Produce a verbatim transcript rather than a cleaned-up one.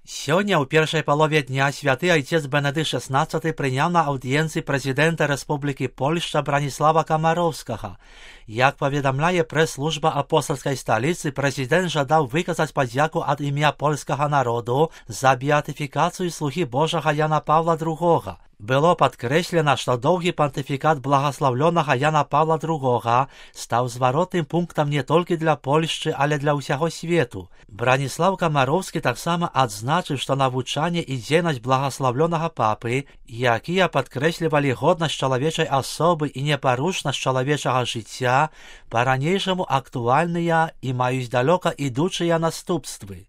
Сёння ў першай палове дня святы айцец Бенедыкт шестнадцаты прыняў на аўдыенцыі прэзідэнта Рэспублікі Польшча Браніслава Камароўскага. Як паведамляе прэс-служба апостальскай сталіцы, прэзідэнт жадаў выказаць падзяку ад імя польскага народу за беатыфікацыю слугі Божага Яна Паўла другога. Было падкрэслена, што доўгі пантыфікат благаслаўлёнага Яна Паўла другога стаў зваротным пунктам не толькі для Польшчы, але для ўсяго свету. Браніслаў Камароўскі таксама адзначыў, што навучанне і дзейнасць благаслаўлёнага папы, якія падкрэслівалі годнасць чалавечай асобы і непарушнасць чалавечага жыцця, па-ранейшаму актуальныя і маюць далёка ідучыя наступствы.